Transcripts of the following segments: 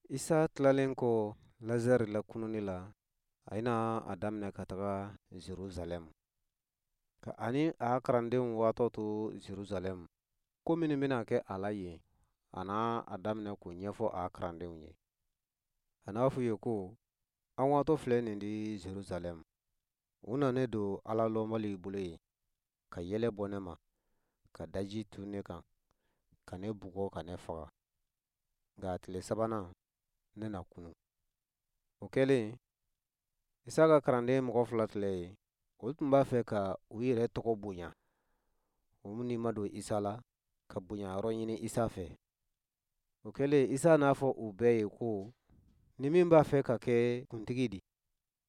Isa tilalen kɔ Lazare lakununni la, a na a daminɛ ka taga Jerusalɛm. Ka a ni a karandenw waatɔ to Jerusalɛm, ko minnu bɛna kɛ a la yen, a na a daminɛ k'o ɲɛfɔ a karandenw ye. A n'a f'u ye ko, An waatɔ filɛ nin di Jerusalɛm. U na ne don Ala lɔnbaliw bolo yen, ka yɛlɛ bɔ ne ma, ka daji tu ne kan, ka ne bugɔ ka ne faga. Nka a tile sabanan, ne na kunu. O kɛlen, Isa ka karanden mɔgɔ fila filɛ yen, olu tun b'a fɛ ka u yɛrɛ tɔgɔ bonya. U ni ma don Isa la, ka bonya yɔrɔ ɲini Isa fɛ. O kɛlen, Isa n'a fɔ u bɛɛ ye ko, ni min b'a fɛ ka kɛ kuntigi di,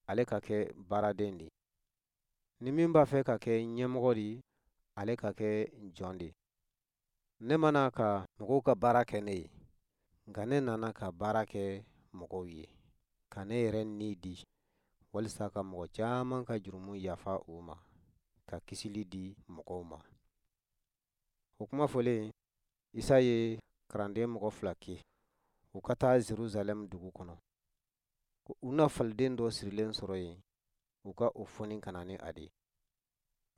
ale ka kɛ baaraden di. Ni min b'a fɛ ka kɛ ɲɛmɔgɔ di, ale ka kɛ jɔn di. Ne ma na ka mɔgɔw ka baara kɛ ne ye, nka ne nana ka baara kɛ mɔgɔw ye, ka ne yɛrɛ ni di, walisa ka mɔgɔ caman ka jurumu yafa u ma, ka kisili di mɔgɔw ma. O kuma fɔlen, Isa ye karanden mɔgɔ fila ki, u ka taa Jerusalɛm dugu kɔnɔ, ko u na faliden dɔ sirilen sɔrɔ yen, u ka o foni ka na ni a di.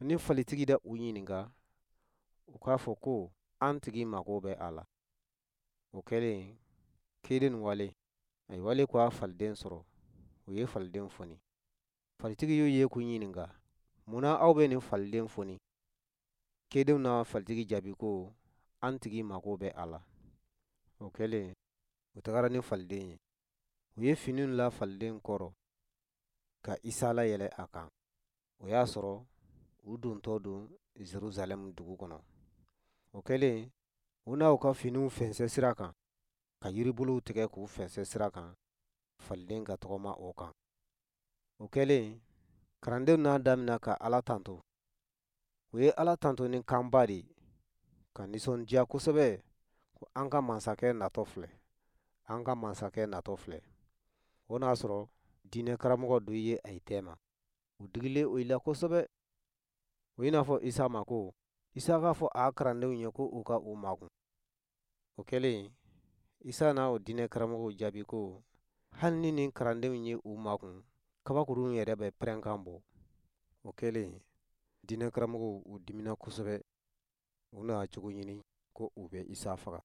Ni falitigi da u ɲininka, u k'a fɔ ko an tigi mago bɛ a la. O kɛlen, ciden wale, ayi wale ko a faliden sɔrɔ, u ye faliden foni. Falitigi y'u ye k'u ɲininka, mun na aw bɛ nin faliden foni? Cidenw na falitigi jaabi ko, an tigi mago bɛ a la. O kɛlen, u tagara ni faliden ye. U ye finiw la faliden kɔrɔ ka Isa layɛlɛ a kan. O y'a sɔrɔ u dontɔ don Jerusalɛm dugu kɔnɔ. O kɛlen, u na u ka finiw fɛnsɛ sira kan, ka yiribolow tigɛ k'u fɛnsɛ sira kan, faliden ka tɔgɔma o kan. O kɛlen, karandenw n'a damina ka Ala tanto. U ye Ala tanto ni kanba de ye, ka nisɔndiya kosɛbɛ ko an ka masakɛ natɔ filɛ, an ka masakɛ natɔ filɛ. O n'a sɔrɔ diinɛ karamɔgɔ dɔ ye a ye tɛma. U digilen o la kosɛbɛ. U y'i n'a fɔ Isa ma ko, Isa k'a fɔ a karandenw ye ko u ka u makun. O kɛlen, Isa na o diinɛ karamɔgɔw jaabi ko, hali ni nin karandenw ye u makun, kabakurunw yɛrɛ bɛ pɛrɛnkan bɔ. O kɛlen, diinɛ karamɔgɔw u dimina kosɛbɛ. U nana cogo ɲini ko u bɛ Isa faga.